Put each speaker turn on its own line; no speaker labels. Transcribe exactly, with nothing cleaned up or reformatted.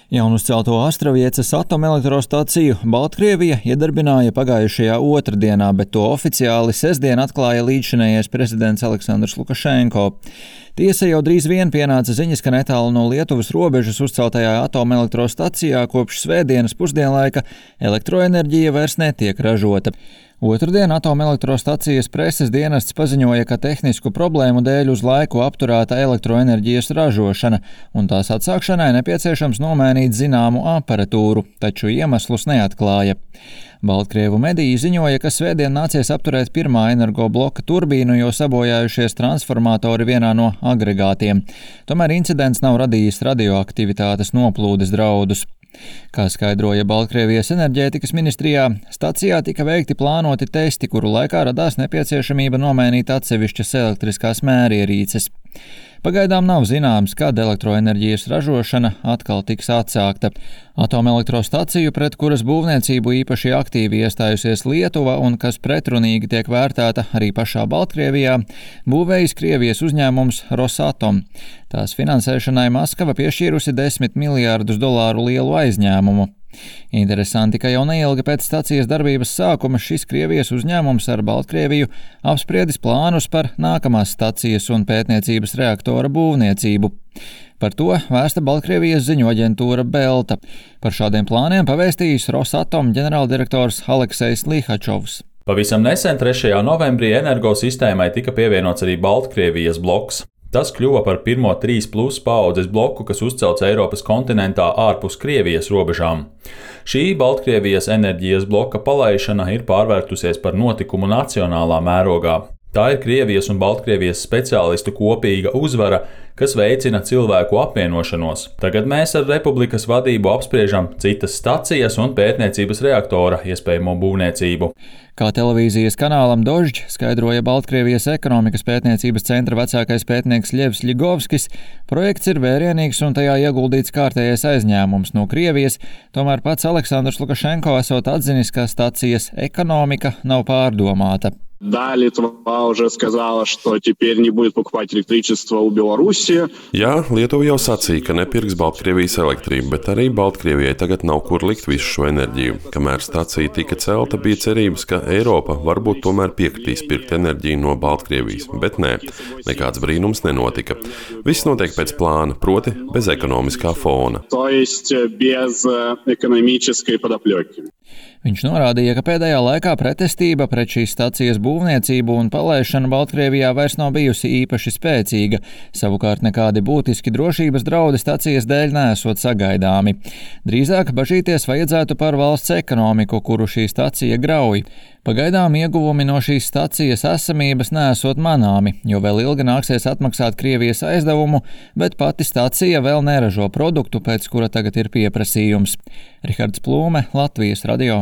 Jaunuzcelto Astraviecas atomelektrostaciju Baltkrievija iedarbināja pagājušajā otrdienā, bet to oficiāli sestdien atklāja līdzšinējais prezidents Aleksandrs Lukašenko. Tiesa, jau drīz vien pienāca ziņas, ka netālu no Lietuvas robežas uzceltajā atomelektrostacijā kopš svētdienas pusdienlaika elektroenerģija vairs netiek ražota. Otrdien atomelektrostacijas preses dienests paziņoja, ka tehnisku problēmu dēļ uz laiku apturēta elektroenerģijas ražošana, un tās atsākšanai nepieciešams nomainīt zināmu aparatūru, taču iemeslus neatklāja. Baltkrievu mediji ziņoja, ka svētdien nācies apturēt pirmā energobloka turbīnu, jo sabojājušies transformatori vienā no agregātiem. Tomēr incidents nav radījis radioaktivitātes noplūdes draudus. Kā skaidroja Baltkrievijas enerģētikas ministrijā, stacijā tika veikti plānoti testi, kuru laikā radās nepieciešamība nomainīt atsevišķas elektriskās mērierīces. Pagaidām nav zināms, kad elektroenerģijas ražošana atkal tiks atsākta. Atomelektrostaciju, pret kuras būvniecību īpaši aktīvi iestājusies Lietuva un kas pretrunīgi tiek vērtēta arī pašā Baltkrievijā, būvējis Krievijas uzņēmums Rosatom. Tās finansēšanai Maskava piešķīrusi desmit miljārdus dolāru lielu aizņēmumu. Interesanti, ka jau neilgi pēc stacijas darbības sākuma šis Krievijas uzņēmums ar Baltkrieviju apspriedis plānus par nākamās stacijas un pētniecības reaktora būvniecību. Par to vēsta Baltkrievijas ziņoaģentūra Belta. Par šādiem plāniem pavēstījis Rosatom ģenerāldirektors Aleksejs Lihačovs.
Pavisam nesen trešajā novembrī energosistēmai tika pievienots arī Baltkrievijas bloks. Tas kļuva par pirmo trīs plus paaudzes bloku, kas uzcelts Eiropas kontinentā ārpus Krievijas robežām. Šī Baltkrievijas enerģijas bloka palaišana ir pārvērtusies par notikumu nacionālā mērogā. Tā ir Krievijas un Baltkrievijas speciālistu kopīga uzvara, kas veicina cilvēku apvienošanos. Tagad mēs ar republikas vadību apspriežam citas stacijas un pētniecības reaktora iespējamo būvniecību.
Kā televīzijas kanālam Dožģ skaidroja Baltkrievijas ekonomikas pētniecības centra vecākais pētnieks Ļevs Ļigovskis, projekts ir vērienīgs un tajā ieguldīts kārtējais aizņēmums no Krievijas, tomēr pats Aleksandrs Lukašenko esot atzinis, ka stacijas ekonomika nav pārdomāta.
Да, Литва уже сказала, что теперь не будет покупать электричество у Белоруссии.
Jā, Lietuva jau sacīja, ka nepirks Baltkrievijas elektrību, bet arī Baltkrievijai tagad nav kur likt visu šo enerģiju. Kamēr stacija tika celta, bija cerības, ka Eiropa varbūt tomēr piekritīs pirkt enerģiju no Baltkrievijas, bet nē, nekāds brīnums nenotika. Viss notiek pēc plāna, proti bez ekonomiskā fona.
То есть без экономической подоплеки.
Viņš norādīja, ka pēdējā laikā pretestība pret šīs stacijas būvniecību un palaišanu Baltkrievijā vairs nav bijusi īpaši spēcīga, savukārt nekādi būtiski drošības draudi stacijas dēļ neesot sagaidāmi. Drīzāk bažīties vajadzētu par valsts ekonomiku, kuru šī stacija grauj. Pagaidām ieguvumi no šīs stacijas esamības neesot manāmi, jo vēl ilgi nāksies atmaksāt Krievijas aizdevumu, bet pati stacija vēl neražo produktu, pēc kura tagad ir pieprasījums. Rihards Plūme, Latvijas radio.